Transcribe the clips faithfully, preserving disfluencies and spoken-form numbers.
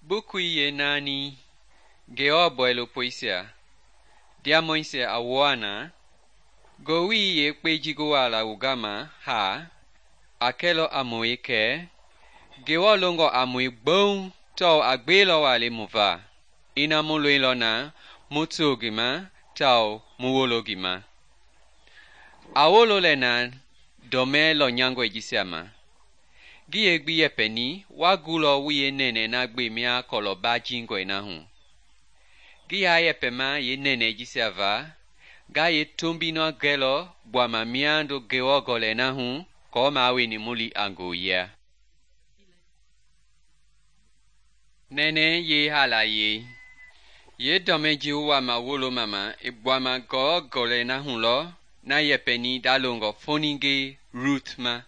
Bukui yenani Ngewɔ bɔilopoisia ndiamɔisia a wua na, ngowili yekpei ji ngi wuala wu gama haa a kɛlɔ a mue kɛ Ngewɔ longɔ a mue gbouŋ tawao a gbelɔ waa le mu va, ina mu loilɔ na mu too ngi ma tawao mu wolo ngi ma. A wolo lɛ na dɔmɛ lɔnyangɔi jisia ma. Ngi yeegbi yɛpɛni wa gulɔ wu yeenɛnɛ na gbe mia kɔlɔ bajingɔi na hu. Ngi yaa yɛpɛma yeenɛnɛ jisia va, nga yeetombi na gɛlɔ gbuama miando Ngewɔ gɔlɛi na hu kɔɔ maweni mu li a ngooyia. Nɛnɛ yeehaalayei yeedɔmɛ ji wu wama woloma ma i gbuama Ngewɔ gɔlɛi na hu lɔ na yɛpɛni ndalongɔ foninge Ruth ma.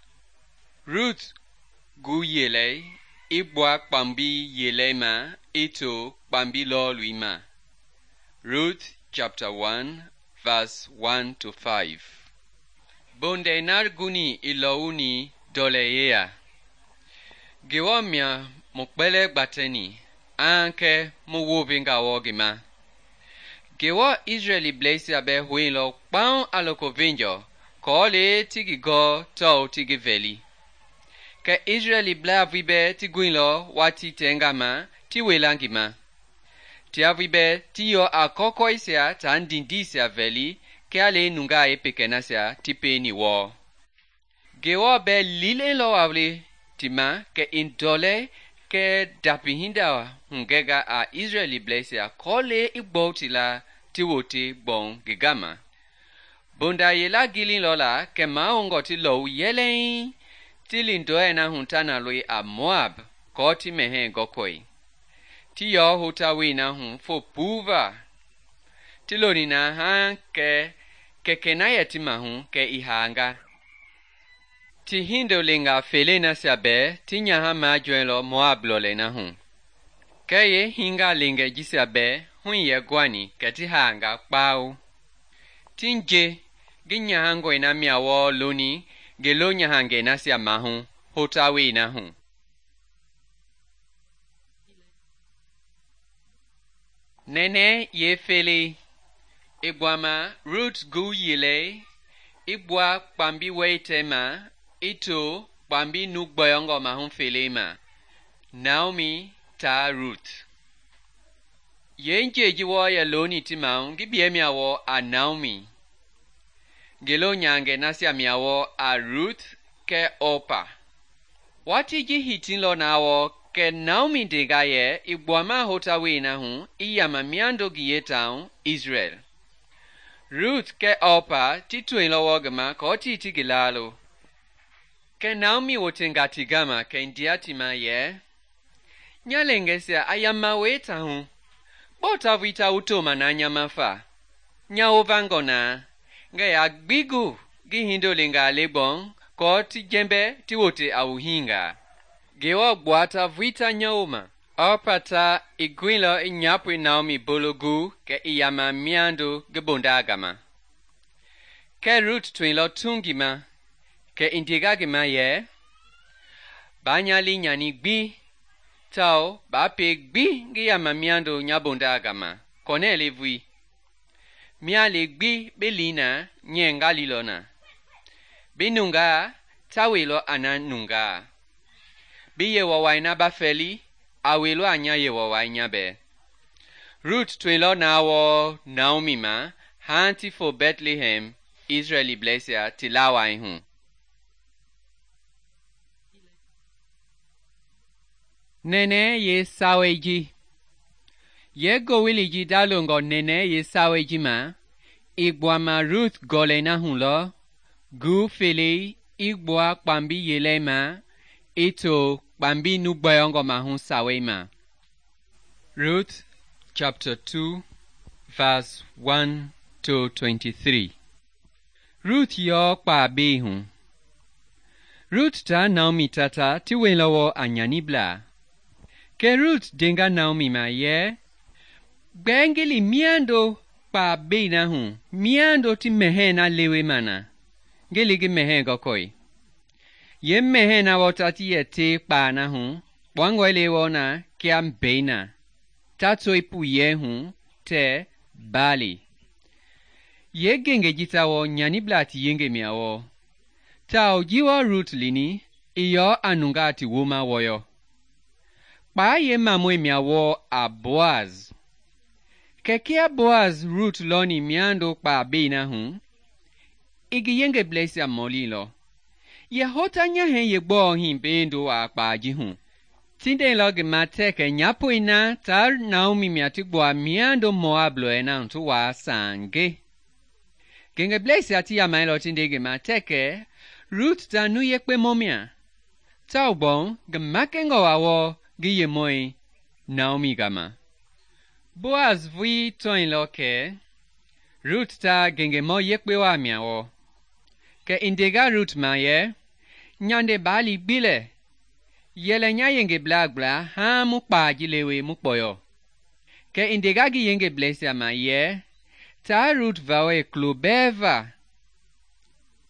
Ruth gu yelei i gbua kpambi yelei ma i to kpambi lɔɔlui ma. Ruth chapter one verse one to five. Bondɛi na guni i lɔwuni ndɔlɛ yeya. Ngewɔ mia mu kpɛlɛɛ gbatɛni a kɛ mu wovenga wɔɔ ngi ma. Ngewɔ Israɛlibleisia bɛɛ hoilɔ kpaŋ a loko venjɔ kɔɔ le ti ngi gɔɔ tawao ti ngi vɛli. Kɛ Israɛliblaa vui bɛɛ ti guilɔ watii tɛnga ma ti wela ngi ma. Tia vui bɛɛ ti yɔ a kɔkɔisia taa ndindiisia vɛli kia le nungaa yeepekɛ nasia ti pieni wɔɔ. Ngewɔ bɛɛ lilɛlɔ waa le ti ma kɛ i ndɔlɛ kɛ ndapihinda hugɛnga a Israɛlibleisia kɔɔ le i gbɔu ti la ti wote gbɔu ngi gama. Bonda yela gililɔ la kɛ mahoungɔ ti lɔwu yɛlɛŋ ti li ndɔɛi na hu ta na loi a Moab kɔɔ ti mɛhɛɛ gɔkɔi. Ti yɔ hota wei na hu fo puuva. Ti loni na haa kɛ kɛkɛ na yɛ ti mahu kɛ i haanga. Ti hindolenga fele nasia bɛɛ ti nyaha majɔɛlɔ Moab lɔlei na hu. Kɛ ye hinga lengɛ jisia bɛɛ hui yɛ guani kɛ ti haanga kpao. Ti nje ngi nyahangɔi na mia wɔɔ loni ngi lo nyahangɛ nasia mahu hota wei na hu. Nɛnɛ ye fele i gbuama Ruth gu yelei i gbua kpambi wɛitɛ ma i to kpambi nu gbɔyɔngɔ mahu fele ma. Naomi taa Ruth. Yenje ji wɔɔ yɛ loni ti mahu ngi biɛ mia wɔɔ a Naomi. Ngi lo nyahangɛ nasia mia wɔɔ a Ruth kɛ Orpa. Watii ji hitinlɔ na wɔɔ kɛ Naomi ndenga yɛ i gbuama hota wei na hu i yama miando ngi yeetauŋ Israel. Ruth kɛ Orpa ti toilɔ wɔɔ ngi ma kɔɔ tii ti ngi laalo. Kɛ Naomi wotenga ti gama kɛ ndia ti ma yɛ, nya lengɛsia a yama wei ta hu, gbɔɔ ta vui ta wu toma na nya ma fa? Nya wovangɔ na, ngɛ ya gbi gu ngi hindolenga le gbɔŋ kɔɔ ti jɛmbɛ ti wote a wu hinga. Ngewɔ gbua ta vui ta nya woma. Orpa ta i guilɔ i nyapoi Naomi bolo gu kɛ i yama miando ngi bondaa gama. Kɛ Ruth toilɔ tu ngi ma, kɛ i ndenga ngi ma yɛ, baa nya li nyani gbi tawao baa pei gbi ngi yama miando nya bondaa gama, kɔnɛ le vui. Mia le gbi bi li na nyɛ nga lilɔ na. Bi nungaa ta weilɔ a na nungaa. Bi yewɔwai na ba fɛli a weilɔ a nya yewɔwai nya bɛɛ. Ruth toilɔ na wɔɔ Naomi ma haa ti fo Bethlehem Israɛlibleisia ti lawai hu. Nɛnɛ ye sawei ji. Ye gowili ji dalongɔ nɛnɛ ye sawei ji ma, i gbuama Ruth gɔlɛi na hu lɔ, gu felei i gbua kpambi yelei ma i to kpambi nu gbɔyɔngɔ mahu sawei ma. Ruth chapter two verse one to twenty-three. Ruth yɔ kpaa bei hu. Ruth ta Naomi tata ti weilɔ wɔ a nyaniblaa. Kɛ Ruth denga Naomi ma yɛ, gbɛɛ ngi li miando kpaa bei na hu, miando ti mɛhɛɛ na lewe ma na, ngi li ngi mɛhɛɛ gɔkɔi. Ye mɛhɛɛ na wɔɔ ta ti yɛ te kpaa na hu, kpɔangɔi le wɔ na kia mbei na, ta toi puyɛ hu tɛɛ Baali. Yeengengei jisia wɔ nyaniblaa ti yengei mia wɔ, tawao ji wɔɔ Rut lini i yɔ a nungaa ti wooma wɔyɔ. Kpaa yeemamɔi mia wɔɔ a Boaz. Kɛ kia Boaz Rut lɔni miando kpaa bei na hu, i ngi yengebleisia mɔlilɔ, yɛ hota nyahɛi yeegbɔɔ hii beendo a kpaa ji hu? Ti ndeilɔ ngi ma tɛ kɛ nyapoi na taa Naomi mia ti gbua miando Moab lɔɛ na hu ti waa saange. Ngengebleisia ti yamailɔ ti nde ngi ma tɛ kɛ Rut ta nu yekpemɔ mia, tawao gbɔu ngi makɛngɔ waa wɔɔ ngi yemɔi Naomi gama. Boaz vui tɔilɔ kɛ Rut ta ngengemɔ yekpe waa mia wɔ. Kɛ i ndenga Rut ma yɛ, nyande Baali gbi lɛ, yɛlɛ nya yengeblaa gbla haaŋ mu kpaa ji lewe mu kpɔyɔ. Kɛ i ndenga ngi yengebleisia ma yɛ, taa Rut vawɔi kulo bɛɛ va,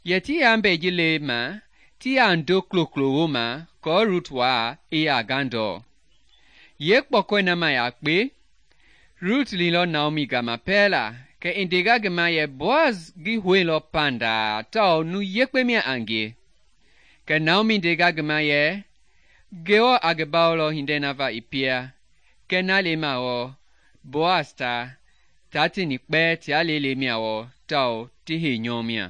yɛ ti yambɛi ji le ma ti ya ndo kulo-kulo wooma kɔɔ Rut waa i yaa gandɔɔ. Yeekpɔkɔi na ma yakpe, Rut lilɔ Naomi gama pɛɛla, kɛ i ndenga ngi ma yɛ Boaz ngi houilɔ pandaa tawao nu yekpe mia a ngie. Kɛ Naomi ndenga ngi ma yɛ, Ngewɔ a ngi bawolɔ hindei na va i pia, kɛ na lema wɔɔ Boaz ta, taa tini kpɛɛ tia lele mia wɔ tawao ti heinyɔ mia.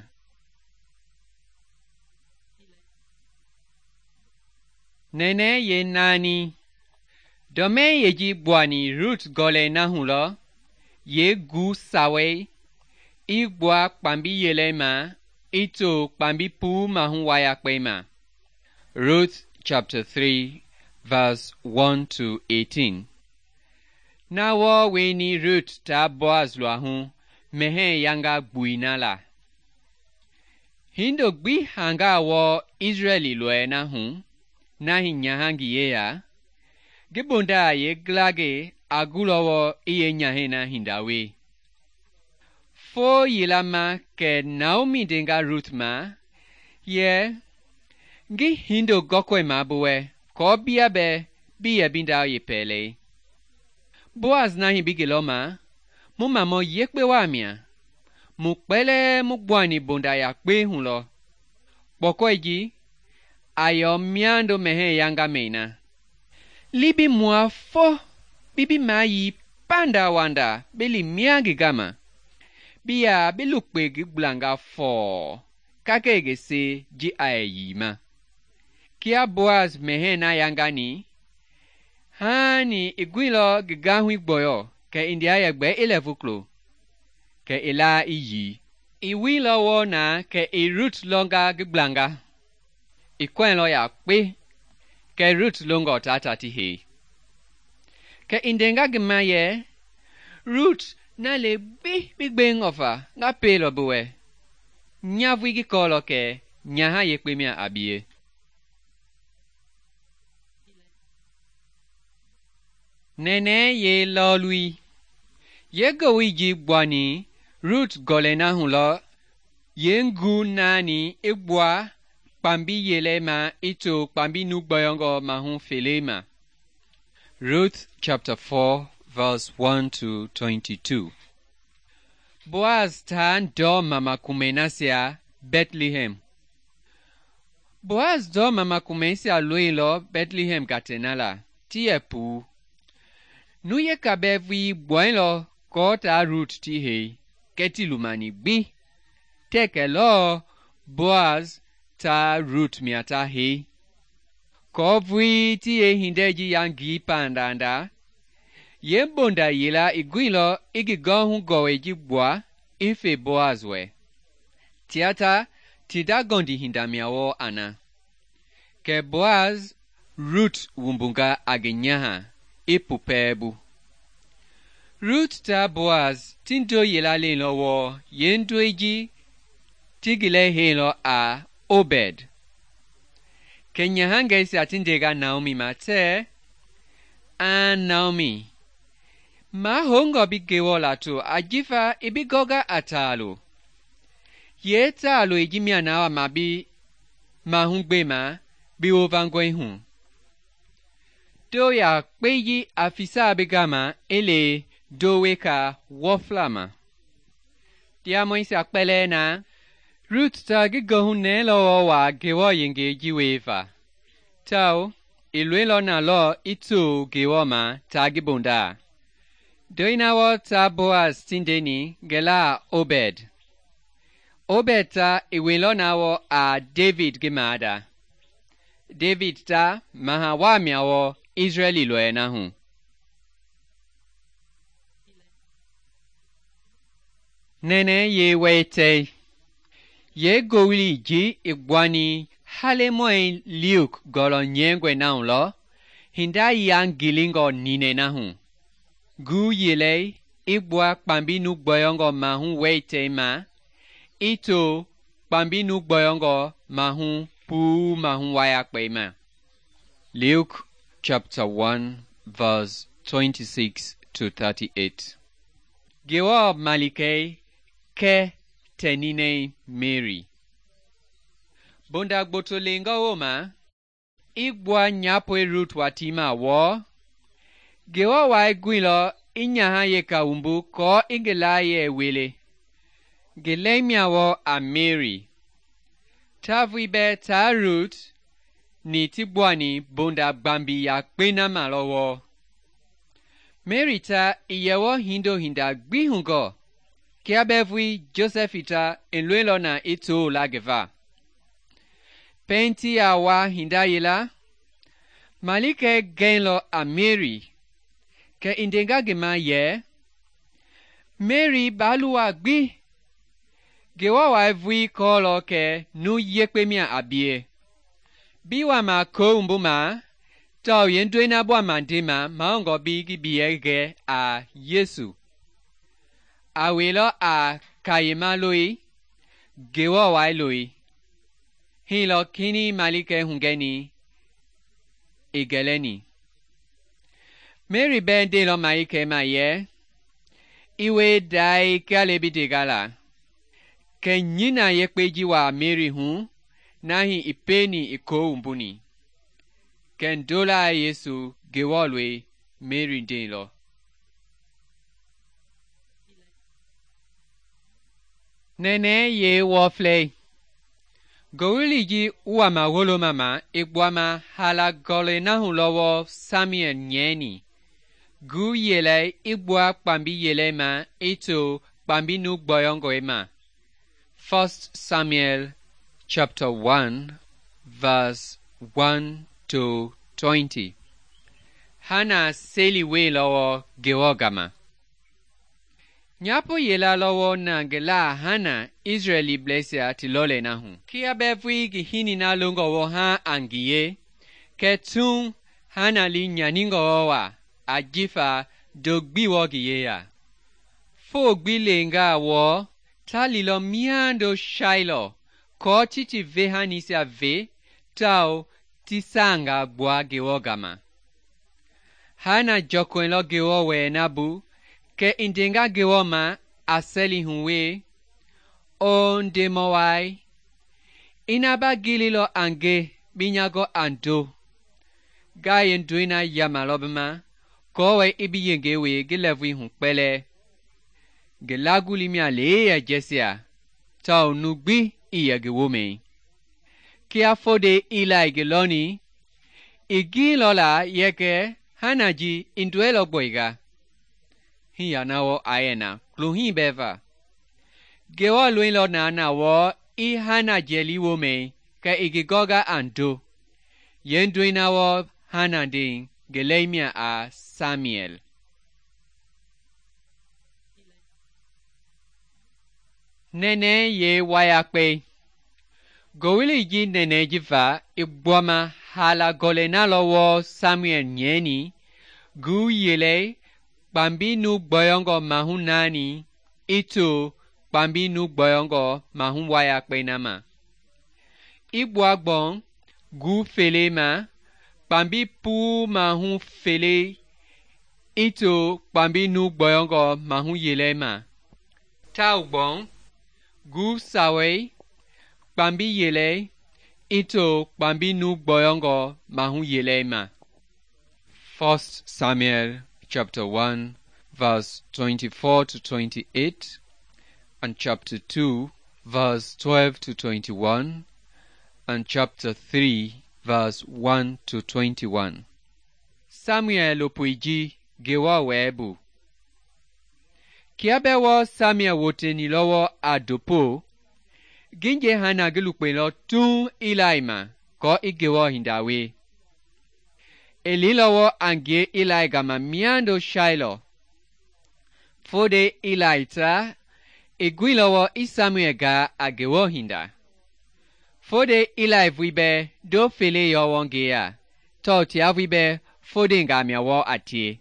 Nɛnɛ ye naani. Dɔmɛi yeji gbuani Rut gɔlɛi na hu lɔ, yee gu sawei i gbua kpambi yelei ma i to kpambi puu mahu wayakpei ma. Ruth chapter three verse one to eighteen. Na wɔ weni Rut taa Boaz luahu mɛhɛɛ yanga gbui na la. Hindo gbi hangaa wɔ Israeli lɔɛ na hu, na hi nyaha ngi yeya, ngi bondaa yeeglagei a gulɔ wɔ i yeenyahɛi na hinda we. Foo yila ma kɛ Naomi ndenga Rut ma yɛ, ngi hindo gɔkɔi ma bi wɛ kɔɔ bia bɛ bi yɛ bi ndaa yepɛlɛi. Boaz na hi bi ngi lɔ ma, mu mamɔ yekpe waa mia, mu kpɛlɛɛ mu gbuani bonda yakpe hu lɔ. Kpɔkɔi ji a yɔ miando mɛhɛɛ yanga mɛi na. Libi mua fɔ bi bi mayi panda wanda bi li mia ngi gama, bi ya bi lukpe ngi gblanga fɔɔ kakɛ ngi se ji a yɛ yi ma. Kia Boaz mɛhɛɛ na yangani, haani i guilɔ ngi gahui gbɔyɔ kɛ i ndia yɛ gbɛ ilɛvu kulo, kɛ i laa i yi. I wuilɔ wɔɔ na kɛ i Rut lɔnga ngi gblanga. I kɔɛlɔ yakpe, kɛ Rut longɔ tata ti hei. Kɛ i ndenga ngi ma yɛ, Rut na le gbi bi gbei ŋɔfa nga peelɔ bi wɛ, nyavui ngi kɔɔlɔ kɛ nyaha yekpe mia a bie. Nɛnɛ ye lɔɔlui. Yeegowoi ji gbuani Rut gɔlɛi na hu lɔ, yeengu naani i gbua kpambi yelei ma i to kpambi nu gbɔyɔngɔ mahu felei ma. Ruth chapter four verse one to twenty-two. Boaz taa ndɔ mama kumei nasia Bethlehem. Boaz dɔ mama kumeisia loilɔ Bethlehem gatena la, ti yɛ puu. Nu yeka bɛɛ vui gbɔilɔ kɔɔ taa Rut ti hei, kɛ ti lumani gbi. Tɛ kɛ lɔɔ Boaz taa Rut mia ta hei. Kɔɔ vui ti ye hindɛ ji yangi pandanda, ye bonda yela i guilɔ i ngi gɔhu gɔwɛi ji gbua i fe Boaz wɛ. Tiata ti da gɔndi hinda mia wɔ ana. Kɛ Boaz Rut wumbunga a ngi nyaha i pupɛɛbu. Rut taa Boaz ti ndo yela leilɔ wɔ ye ndoi ji ti ngi lɛ heilɔ a Obed. Kɛ nyahangɛisia ti ndenga Naomi ma tɛ, a Naomi, mahongɔ bi Ngewɔ lato ajifa i bi gɔga a taalo. Yee taaloi ji mia na wa ma bi mahu gbema bi wovangɔi hu. do yakpei ji a fisa bi gama i li do weka wɔfla ma. Ndiamɔisia kpɛlɛɛ na, Rut ta ngi goohunɛɛlɔ wɔɔ waa Ngewɔ yengei ji wieva, tawao i loilɔ na lɔ i to Ngewɔ ma taa ngi bondaa. Ndoi na wɔɔ taa Boaz ti ndeni ngi laa a Obed. Obed ta i weilɔ na wɔɔ a David ngi maada. David ta maha waa mia wɔɔ Israɛli lɔɛ na hu. Nɛnɛ ye wɛitɛi. Ye gowili ji i gbuani halemɔi Luke gɔlɔ nyɛngɔe na hu lɔ, hinda yangilingɔ ninɛ na hu. Gu yelei i gbua kpambi nu gbɔyɔngɔ mahu wɛitɛi ma, i to kpambi nu gbɔyɔngɔ mahu puu mahu wayakpei ma. Luke chapter one verse twenty-six to thirty-eight. Ngewɔ malikei kɛ tɛninɛi Mary. Bonda gboto lengɔ woma, i gbua nyapoi Rut watii ma wɔɔ. Ngewɔ wai guilɔ i nyaha yeka wumbu kɔɔ i ngi layie wele. Ngi lɛi mia wɔɔ a Mary. Ta vui bɛɛ taa Rut ni ti gbuani bonda gbambi yakpei na ma lɔ wɔɔ. Mary ta i yɛ wɔɔ hindo hinda gbi hugɔ. Kia bɛɛ vui Josɛfi ta i loilɔ na i too la ngi va. Pɛiŋ ti ya wa hinda yela, malikɛ gɛilɔ a Mary, kɛ i ndenga ngi ma yɛ, Mary baa luwa gbi. Ngewɔ wai vui kɔɔlɔ kɛ nu yekpe mia a bie. Bi wama koo wumbu ma, tawao yeendoi na bɔama ndema mahoungɔ bi ngi biɛ gɛ a Yesu. A weilɔ a kayema loi, Ngewɔ wai loi. Hii lɔ kinii malikɛ hugɛni i gɛlɛni. Mary bɛɛ ndeilɔ malikɛ ma yɛ, i wei dai kia le bi dega la. Kɛ nyina yekpei ji wa Mary hu, na hi i peni i koo wumbuni. Kɛ ndolaa Yesu Ngewɔ loi Mary ndeilɔ. Nɛnɛ ye wɔflɛi. Gowili ji wama woloma ma i gbuama hala gɔlɛ na hu lɔ wɔɔ Samuel nyɛɛni. Gu yelei i gbua kpambi yelei ma i to kpambi nu gbɔyɔngɔi ma. First Samuel chapter one verse one to twenty. Hana seli wei lɔ wɔɔ Ngewɔ gama. Nyapo yela lɔ wɔɔ na ngi laa Hana Israɛli blɛisia ti lɔlɛ na hu. Kia bɛɛ vui ngi hini na longɔ wɔɔ ha a ngiye, kɛ tun Hana li nyaningɔ wɔɔ wa ajifa do gbi wɔɔ ngi yeya. Fo gbi lenga wɔɔ ta lilɔ miando Shailɔ kɔɔ ti ti vehanisia ve tawao ti saanga gbua Ngewɔ gama. Hana jɔkɔilɔ Ngewɔ wɛɛ na bu, kɛ i ndenga Ngewɔ ma a sɛli hu wee, O Ndemɔ wai, ina ba gililɔ a nge bi nya gɔ a ndo. Nga yeendoi na yamalɔ bi ma, kɔɔ wɛɛ i bi yengei wee ngi lɛɛvui hu kpɛlɛɛ. Ngi laguli mia lee yɛ jɛsia, tawao nu gbi i yɛ ngi womɛi. Kia fode Eli ngi lɔni, i giilɔ la yɛ kɛ Hana ji i nduɛlɔ gbɔiga. Hii ya na wɔɔ a yɛ na klohii bɛɛ va. Ngewɔ loilɔ na na wɔɔ i Hana jɛli womɛi kɛ i ngi gɔga a ndo. Yeendoi na wɔɔ Hana ndei ngi lɛi mia a Samuel. Nɛnɛ ye wayakpei. Gowili ji nɛnɛ ji va i gbuama hala gɔlɛ na lɔ wɔɔ Samuel nyɛɛni, gu yelei kpambi nu gbɔyɔngɔ mahu naani i to kpambi nu gbɔyɔngɔ mahu wayakpei na ma. I gbua gbɔŋ gu fele ma, kpambi puu mahu fele i to kpambi nu gbɔyɔngɔ mahu yelei ma. Tau gbɔŋ gu sawei kpambi yelei i to kpambi nu gbɔyɔngɔ mahu yelei ma. First Samuel chapter one, verse twenty-four to twenty-eight, and chapter two, verse twelve to twenty-one, and chapter three, verse one to twenty-one. Samuel lopuiji gewa webu. Kia bewo Samuel woteni lowo adopo, ginje hana gilukpelo tun Eli ma ko igewo hindawe. Eli lowo angie Eli gama miando Shiloh. Fode Eli ta, igui lowo i Samuel ga a gewo hinda. Fode Eli vuibe do fele yowongea, to tia vuibe fode nga miawo atie.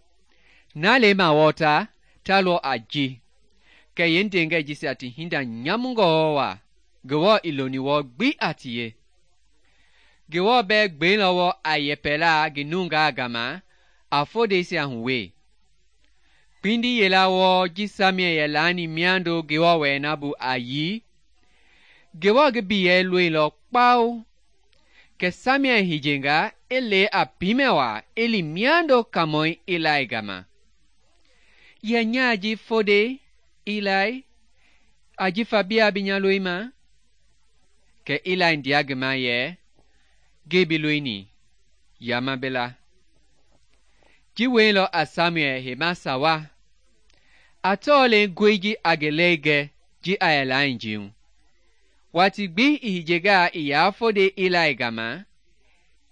Na le ma wota, talo aji. Ke yendenge jisi ati hinda nyamungo wa, gewo iloni wo gbi atie. Gewo be gbe lowo a yepela ginunga gama, a fode si ahuwe. Pindi yela wo ji Samuel yelani miando gewo we nabu ayi, gewo gebiye lui lo kpau. Ke Samuel hijenga ele a pimewa eli miando kamoi Eli gama. Ye nyaji fode Eli, aji fabia binya luima. Ke Eli ndia gema ye, gebi luini, yama bela. Ji welo a Samuel hema sawa. Atole gweji agelege ji ayala injiu. Wati gbi ihijega iya fode Eli gama,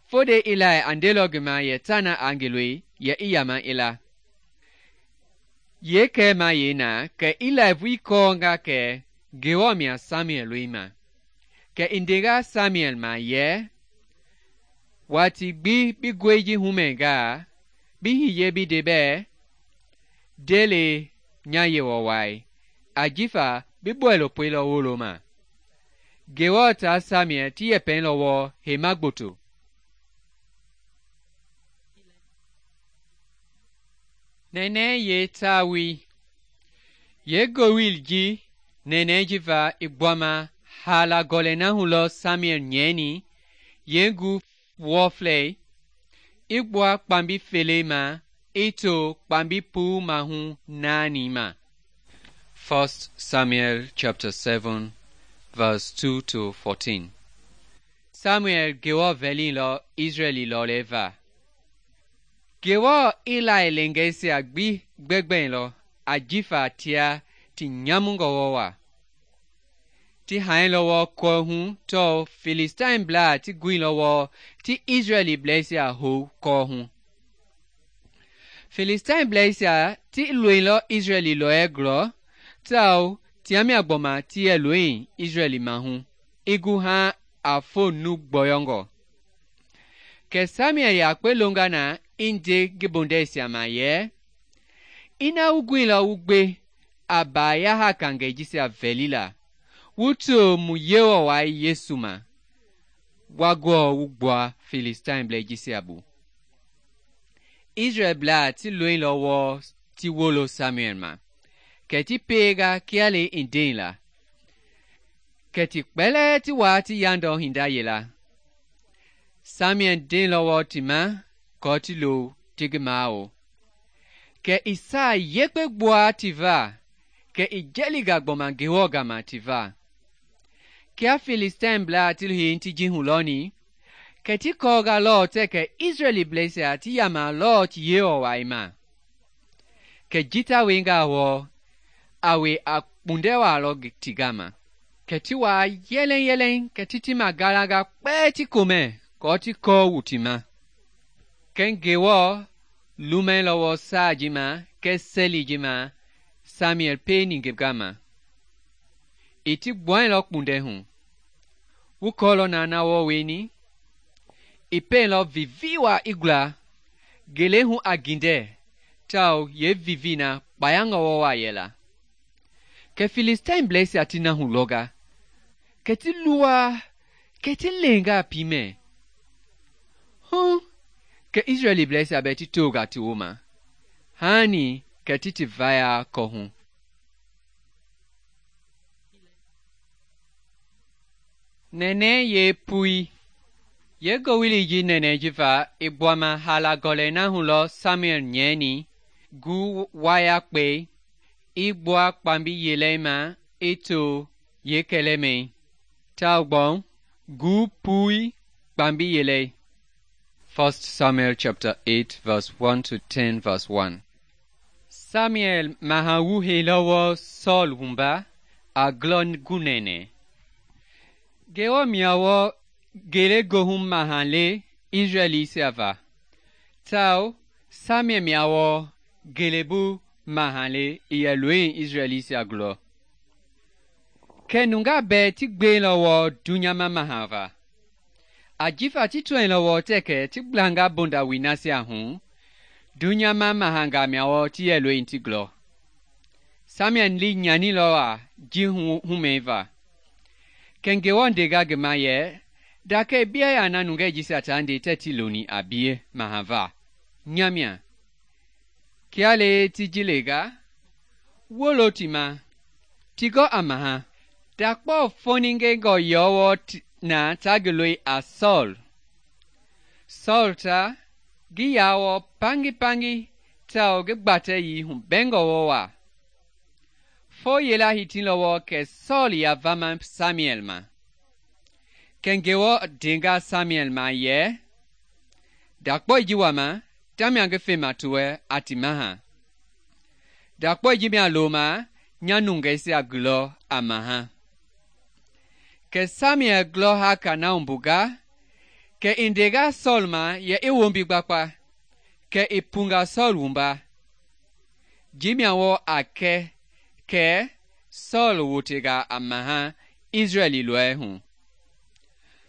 fode Eli andelo gema ye tana angelui ye iyama ila. Ye ke ma ye na ke Eli vui konga ke gewo mia Samuel luima. Ke indega Samuel ma ye, wati gbi bi gweji humenga, bi hiye bi debe, dele nyaye wawai, ajifa bi buelo puelo woloma. Gewo ta Samuel ti ye pen lowo he magboto. Nene ye tawi. Ye gowil ji nene jiva igwama hala golena hulo Samuel nyeni, yengu wofle, igwa kpambi felema, ito kpambi pu mahu nani ma. First Samuel chapter seven, verse two to fourteen. Samuel gewo veli lo Israeli lo leva. Gewo Eli lengesi agbi gbegben lo ajifa tia ti nyamungo wowa. Ti hain lowo ko hu to Philistine bla ti gui lowo ti Israeli blesia ho ko hu. Philistine blesia ti luin lo Israeli lo egro, tau tiami agboma ti e luin Israeli mahu. Igu ha a fo nu gboyongo. Ke Samuel ya kwe longa na inde gibondesia ma ye. Ina ugui lo ugbe abaya ha kange jisia velila. Wuto mu yewa wa Yesu ma. Wagwo ugboa Philistine ble jisia bu. Israel bla ti luin lo wo ti wolo Samuel ma. Ke ti pega kiale indin la. Ke ti kpele ti wa ti yando hinda yela. Samuel din lo wo ti ma, ko ti lo tigimao. Ke isa yekpe gboa ti va, ke ijeliga gboma gewo gama ti va. Kia Philistine bla ti hin ti jihuloni, ke ti koga lo te ke Israeli blesia ti yama lo ti yeo wa ima. Ke jita wenga wo, awe a pundewa lo tigama. Ke ti wa yelen yelen ke ti ti magalaga kpe ti kome, ko ti ko wutima. Ken gewo lumen lo wo sa jima, ke seli jima, Samuel pe ningegama. Iti bwen lo punde hu. Wukolo na na wo weni. Ipe lo viviwa igla. Gele hu aginde. Tau ye vivina bayanga wo wa yela. Ke Philistine blesi atina hu loga. Ke ti luwa. Ke ti lenga pime. Huh? Ke Israeli blesi abeti toga ti woma. Hani ke ti ti vaya kohu. Nene ye pui. Yeegowili ji nɛnɛɛ jifa i gbuama haala gɔlɛi na hu lɔ Samuel nyɛini gu wayakpei i gbua kpambi yelei ma i to yeekɛlɛmɛi, tawao gu pui kpambi yelei. First Samuel chapter eight verse one to ten verse one. Samuel maha wu heilɔ wɔɔ Sɔɔl wumba a glɔ gunɛnɛ. Ngewɔ mia wɔɔ ngelegoohu maha le Israɛlisia va, tawao Samuel mia wɔɔ ngelebu maha le i yɛ loini Israɛlisia gulɔ. Kɛ nungaa bɛɛ ti gbeilɔ wɔɔ dunyama maha va, ajifa ti tɔɛilɔ wɔɔ tɛkɛ ti gblanga bondawoi nasia hu, dunyama mahangaa mia wɔɔ ti yɛ loini ti gulɔ. Samuel li nyanilɔ a ji humɛiva. Kɛ Ngewɔ ndenga ngi ma yɛ, dakei bia yaa na nungɛi jisia ta nde tɛɛ ti loni a bie mahava, nya mia. Kia le ti ji lenga, wolo ti ma, ti gɔ a maha. Dakpɔ foningengɔ yɔ wɔɔ na ta ngi loi a Sɔɔl. Sɔɔl ta, ngi yaa wɔɔ pangipangi tawao ngi gbatɛyii hubɛngɔ wɔɔ wa. Fo yela hitilɔ wɔɔ kɛ Sɔɔl ya vama Samuel ma. Kɛ Ngewɔ ndenga Samuel ma yɛ, dakpɔi ji wama, tamia ngi fema ti wɛ a ti maha. Dakpɔi ji mia loma, nya nungɛisia gulɔ a maha. Kɛ Samuel glɔ haka na wumbunga, kɛ i ndenga Sɔɔl ma yɛ i wombi gbakpa, kɛ i punga Sɔɔl wumba. Ji mia wɔɔ a kɛ kɛ Sɔɔl wotenga a maha Israɛli lɔɛ hu.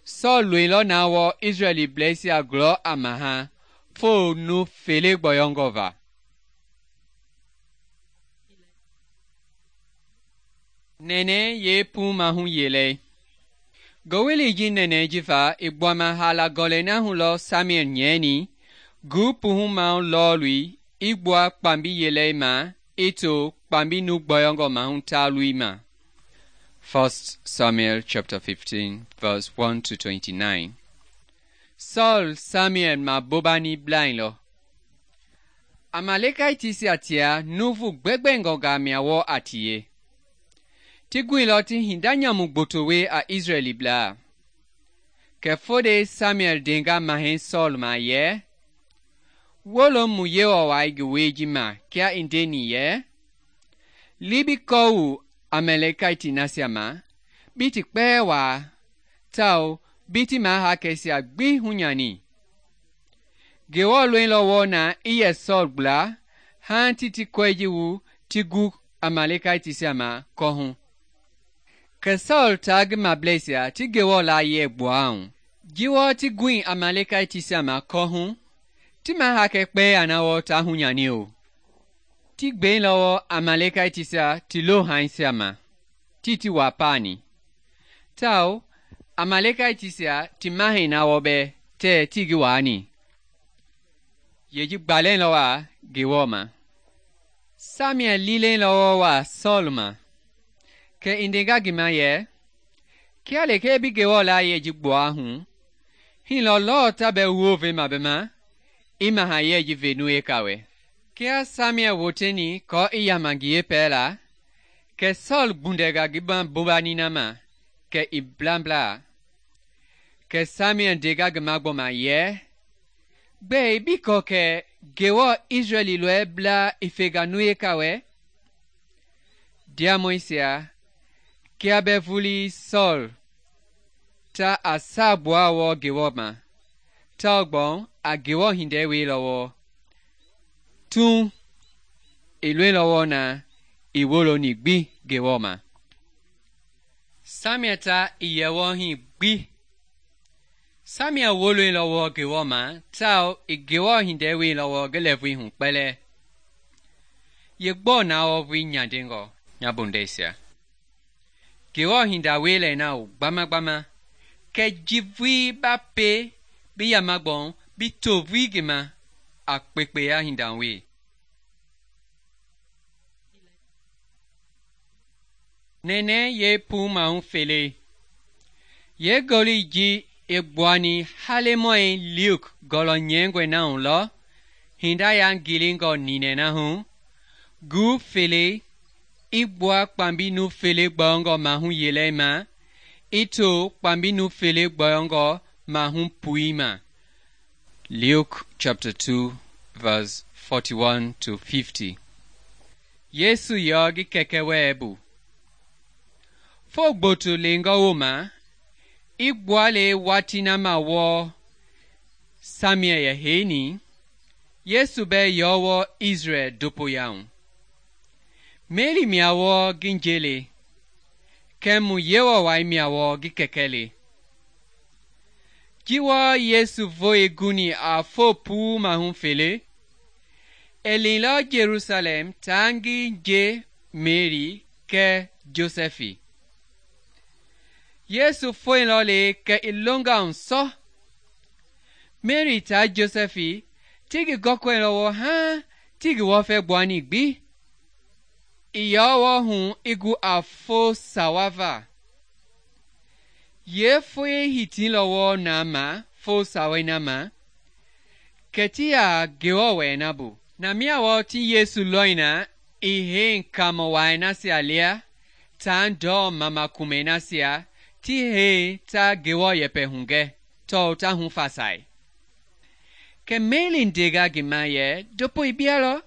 Sɔɔl loilɔ na wɔɔ Israɛliblɛisia gulɔ a maha fo nu fele gbɔyɔngɔ va. Nɛnɛ yee puu mahu yelei. Gowili ji nɛnɛ jifa i gbuama haala gɔlɛi na hu lɔ Samuel nyɛini gu puhumau lɔɔlui i gbua kpambi yelei ma i to kpambi nu gbɔyɔngɔ mahu taalui ma. First Samuel chapter fifteen verse one to twenty-nine. Saul Samuel ma bobani blainlɔ. Amalekaitisia tia nuvu gbɛgbɛngɔnga mia wɔ a tie. Ti guilɔ ti hinda nyamu gbotowe a Israɛliblaa. Kɛ fode Samuel denga mahɛi Saul ma yɛ, wolo mu Yewɔ wai ngi wei ji ma kia i ndeni yɛ, li bi kɔɔwu Amalekaiti nasia ma, bi ti kpɛɛ waa, tawao bi ti mahakɛisia gbi hunyani. Ngewɔ loilɔ wɔɔ na i yɛ Saul gbla hãa ti ti kɔi ji wu ti gu Amalekaitisia ma kɔhu. Kɛ Saul taa ngi mablɛisia ti Ngewɔ laayɛ gbuahu. Ji wɔɔ ti gui Amalekaitisia ma kɔhu, ti mahakɛ kpɛɛ na wɔɔ ta hunyani o. Ti gbeilɔ wɔɔ Amalekaitisia ti lohaisia ma, ti ti waa paani. Tawao Amalekaitisia ti mahɛi na wɔ bɛ tɛɛ ti ngi waani. Yeji gbalɛilɔ wa Ngewɔ ma. Samuel lilɛilɔ wɔɔ wa Sɔɔl ma. Kɛ i ndenga ngi ma yɛ, kia lekee bi Ngewɔ laayɛ ji gbua hu, hilɔ lɔɔ ta bɛ woove ma bɛ ma, i mahayɛ ji venu eka wɛ. Kia Samuel woteni kɔɔ i yama ngi yeepɛla, kɛ Sɔɔl gbundɛnga ngi ma bobani na ma, kɛ i blamblaa. Kɛ Samuel ndenga ngi ma gbɔma yɛ, gbɛɛ bi kɔ kɛ Ngewɔ Israɛli lɔɛ bla i fenga nu eka wɛ? Diamɔisia, kia bɛ vuli Sɔɔl ta a saabua wɔɔ Ngewɔ ma, tawao a Ngewɔ hindɛ weilɔ wɔɔ. Tun i loilɔ wɔɔ na i woloni gbi Ngewɔ ma. Samuel ta i yɛ wɔɔ hi gbi. Samuel woloilɔ wɔɔ Ngewɔ ma, tawao i Ngewɔ hindɛ weilɔ wɔɔ ngi lɛɛvui hu kpɛlɛ. Ye gbɔɔ na wɔɔ vui nyandengɔ nya bondɛisia. Ngewɔ hinda weilɛ na o gbamagbama, kɛ jivui ba pe bi yamagbɔn bi tovui ngi ma a kpekpeya hindanwe. Nɛnɛ ye puu mahu fele. Ye goli ji i gbuani halemɔi Luke gɔlɔ nyɛingɔi na hu lɔ hinda yangilingɔ ninɛ na hu, gu fele i gbua kpambi nu fele gbɔyɔngɔ mahu yelei ma i to kpambi nu fele gbɔyɔngɔ mahu pui ma. Luke chapter two verse forty-one to fifty. Yesu yɔ ngi kɛkɛ wɛɛ bu. Fo gboto lengɔ wooma, i gbuale watii na ma wɔɔ Samuel yɛ heini, Yesu bɛɛ yɔ wɔ Israel dopoya hu. Meri mia wɔ ngi nje le, kɛɛ mu Yewɔwai mia wɔ ngi kɛkɛ le. Ji wɔɔ Yesu voe guni a fo puu mahu fele, i liilɔ Jerusalɛm taa ngi nje Meri kɛɛ Josɛfi. Yesu foeilɔ le kɛ i longa hu sɔ. Meri taa Josɛfi ti ngi gɔkɔilɔ wɔɔ haaŋ ti ngi wɔfɛ gbuani gbi. I yɔ wɔ hu i gu a fo sawa va. Yeefoe hitilɔ wɔɔ na ma fo sawai na ma, kɛ ti ya Ngewɔ wɛɛ na bu. Na mia wɔɔ ti Yesu lɔi na i hei kaamɔ wai nasia lia taa ndɔɔ mama kumɛi nasia ti hei ta Ngewɔ yɛpɛ hugɛ tɔɔ ta hufasai. Kɛ Meri ndenga ngi ma yɛ, "Ndopoi bia lɔ?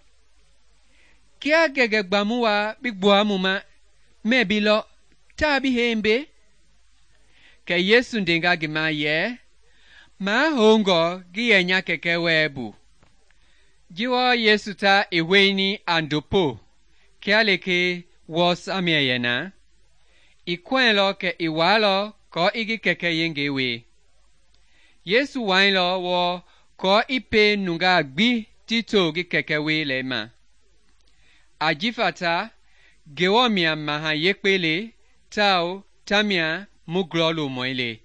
Kia ngɛngɛ gbamu wa bi gbua mu ma, mɛ bi lɔ, taa bi hei mbe?" Kɛ Yesu ndenga ngi ma yɛ, "Mahoungɔ ngi yɛ nya kɛkɛ wɛɛ bu." Ji wɔɔ Yesu ta i hoini a ndopo kia lekee wɔɔ Samuel yɛ na, i kɔɛilɔ kɛ i walɔ kɔɔ i ngi kɛkɛ yengei wie. Yesu wailɔ wɔɔ kɔɔ i pie nungaa gbi ti to ngi kɛkɛ wielei ma. Ajifa ta Ngewɔ mia maha yekpe le tawao tamia mu glɔlomɔi le.